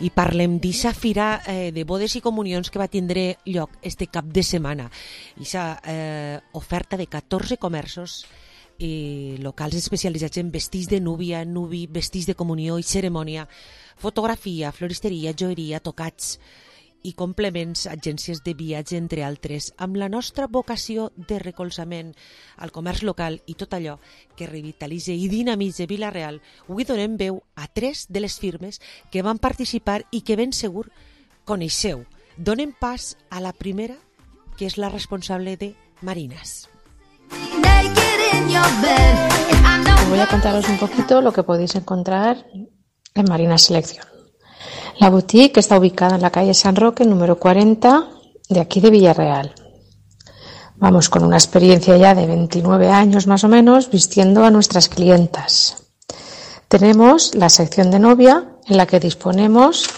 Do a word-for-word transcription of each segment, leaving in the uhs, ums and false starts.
i parlem d'eixa fira eh, de bodes i comunions que va tindre lloc este cap de setmana. Eixa eh, oferta de catorze comerços i locals especialitzats en vestits de núvia, nuvi, vestits de comunió i cerimònia, fotografia, floristeria, joieria, tocats i complements, agències de viatge, entre altres, amb la nostra vocació de recolzament al comerç local i tot allò que revitalitza i dinamitza Vila-real. Avui donem veu a tres de les firmes que van participar i que ben segur coneixeu. Donem pas a la primera, que és la responsable de Marinas. Voy a contaros un poquito lo que podéis encontrar en Marinas Selección. La boutique está ubicada en la calle San Roque, número cuarenta, de aquí de Villarreal. Vamos con una experiencia ya de veintinueve años más o menos, vistiendo a nuestras clientas. Tenemos la sección de novia, en la que disponemos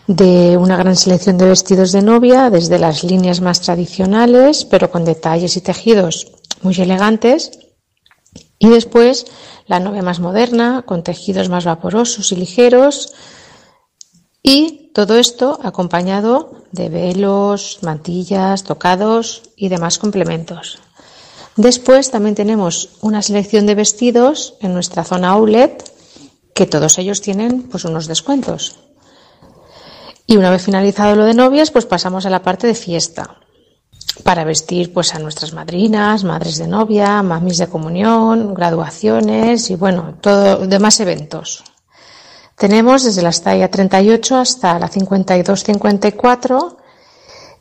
de una gran selección de vestidos de novia, desde las líneas más tradicionales, pero con detalles y tejidos muy elegantes, y después la novia más moderna, con tejidos más vaporosos y ligeros, y todo esto acompañado de velos, mantillas, tocados y demás complementos. Después también tenemos una selección de vestidos en nuestra zona outlet, que todos ellos tienen pues unos descuentos. Y una vez finalizado lo de novias, pues pasamos a la parte de fiesta, para vestir pues a nuestras madrinas, madres de novia, mamis de comunión, graduaciones y bueno, todo demás eventos. Tenemos desde la talla treinta y ocho hasta la cincuenta y dos cincuenta y cuatro,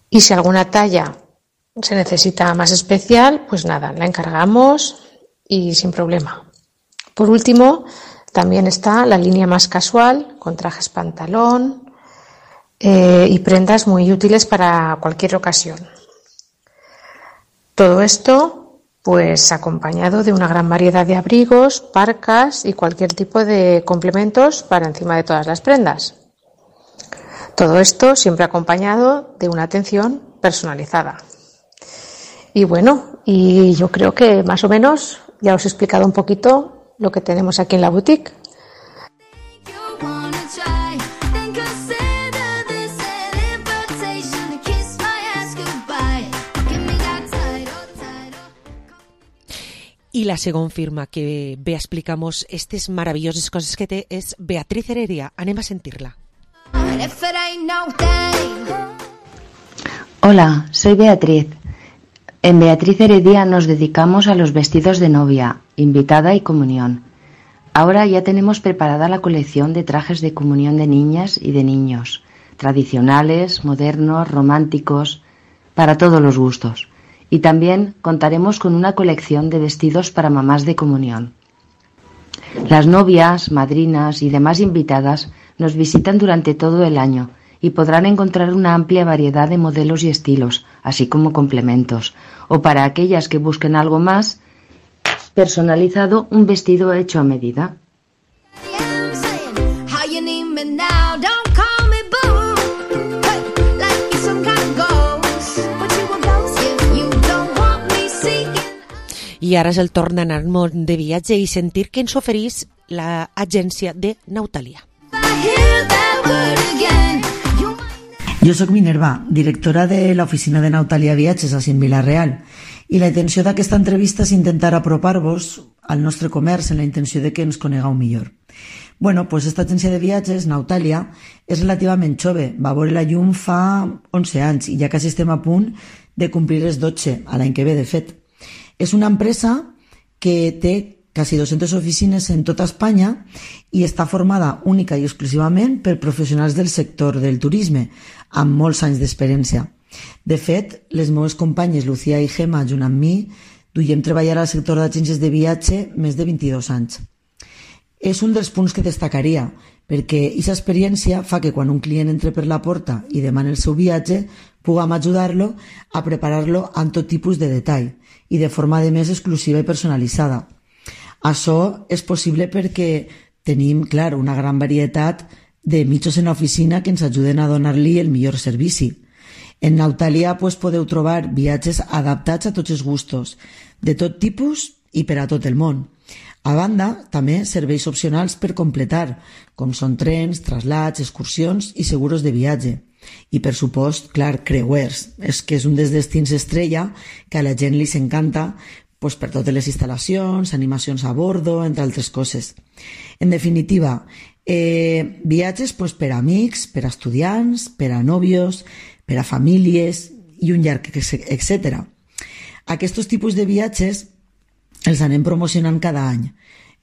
y si alguna talla se necesita más especial, pues nada, la encargamos y sin problema. Por último, también está la línea más casual, con trajes pantalón eh, y prendas muy útiles para cualquier ocasión. Todo esto pues acompañado de una gran variedad de abrigos, parcas y cualquier tipo de complementos para encima de todas las prendas. Todo esto siempre acompañado de una atención personalizada. Y bueno, y yo creo que más o menos ya os he explicado un poquito lo que tenemos aquí en la boutique. I la segona firma que ve a explicar-nos aquestes maravilloses coses que té és Beatriz Heredia. Anem a sentir-la. Hola, soy Beatriz. En Beatriz Heredia nos dedicamos a los vestidos de novia, invitada y comunión. Ahora ya tenemos preparada la colección de trajes de comunión de niñas y de niños, tradicionales, modernos, románticos, para todos los gustos. Y también contaremos con una colección de vestidos para mamás de comunión. Las novias, madrinas y demás invitadas nos visitan durante todo el año y podrán encontrar una amplia variedad de modelos y estilos, así como complementos, o para aquellas que busquen algo más personalizado, un vestido hecho a medida. I ara és el torn d'anar al món de viatge i sentir que ens oferís l'agència de Nautalia. Jo sóc Minerva, directora de l'oficina de Nautalia Viatges a Vila-real, i la intenció d'aquesta entrevista és intentar apropar-vos al nostre comerç en la intenció de que ens conegueu millor. Bueno, pues esta agència de viatges, Nautalia, és relativament jove, va veure la llum fa onze anys i ja quasi estem a punt de complir els dotze, a l'any que ve de fet. És una empresa que té quasi dues-centes oficines en tota Espanya i està formada única i exclusivament per professionals del sector del turisme, amb molts anys d'experiència. De fet, les meves companyes Lucía i Gemma, junt amb mi, duiem treballar al sector d'agències de viatge més de vint-i-dos anys. És un dels punts que destacaria, perquè aquesta experiència fa que quan un client entra per la porta i demana el seu viatge, puguem ajudar-lo a preparar-lo amb tot tipus de detall i de forma de més exclusiva i personalitzada. Això és possible perquè tenim, clar, una gran varietat de mitjos en l'oficina que ens ajuden a donar-li el millor servici. En Nautalia pues, podeu trobar viatges adaptats a tots els gustos, de tot tipus i per a tot el món. A banda, també serveis opcionals per completar, com són trens, traslats, excursions i seguros de viatge. I, per supost, clar, creuers, és que és un dels destins estrella que a la gent li s'encanta pues, per totes les instal·lacions, animacions a bordo, entre altres coses. En definitiva, eh, viatges pues, per a amics, per a estudiants, per a nòvios, per a famílies i un llarg etcètera. Aquests tipus de viatges els anem promocionant cada any.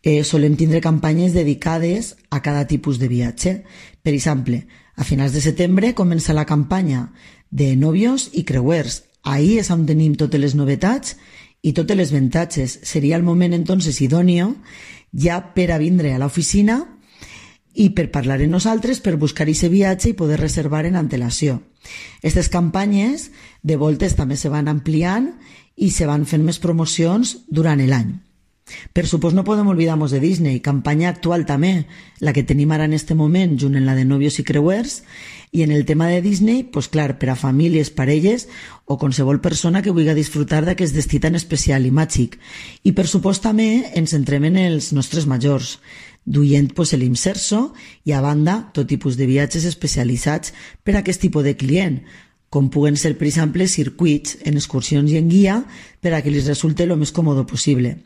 Eh, solem tindre campanyes dedicades a cada tipus de viatge. Per exemple, a finals de setembre comença la campanya de nòvios i creuers. Ahí és on tenim totes les novetats i totes les avantatges. Seria el moment entonces idòneo ja per a vindre a l'oficina i per parlar amb nosaltres, per buscar aquest viatge i poder reservar en antelació. Aquestes campanyes de voltes també se van ampliant i se van fent més promocions durant l'any. Per supost no podem oblidar-nos de Disney, campanya actual també, la que tenim ara en este moment, junt en la de nòvios i creuers, i en el tema de Disney, pues clar, per a famílies, parelles o qualsevol persona que vulgui disfrutar d'aquest destí tan especial i màgic. I per supost també ens centrem en els nostres majors, duient pues, l'Imserso i a banda tot tipus de viatges especialitzats per a aquest tipus de client, com puguen ser, per exemple, circuits en excursions i en guia per a que els resulte el més còmode possible.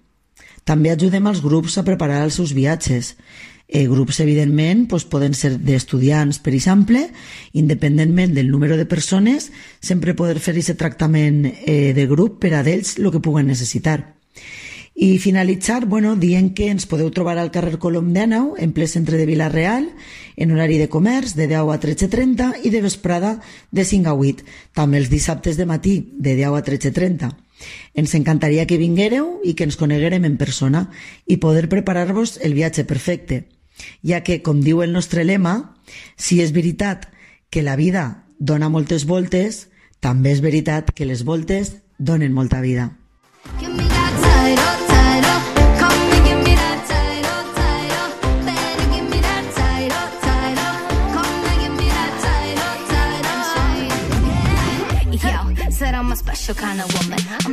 També ajudem als grups a preparar els seus viatges. Eh, grups, evidentment, doncs, poden ser d'estudiants, per exemple, independentment del número de persones, sempre poder fer aquest tractament eh, de grup per a d'ells el que puguen necessitar. I finalitzar, bueno, dient que ens podeu trobar al carrer Colom dinou, en ple centre de Vila-real, en horari de comerç de deu a tretze trenta i de vesprada de cinc a vuit, també els dissabtes de matí de deu a tretze trenta. Ens encantaria que vinguéreu i que ens coneguérem en persona i poder preparar-vos el viatge perfecte, ja que, com diu el nostre lema, si és veritat que la vida dona moltes voltes, també és veritat que les voltes donen molta vida. Said I'm a special kind of woman. I'm the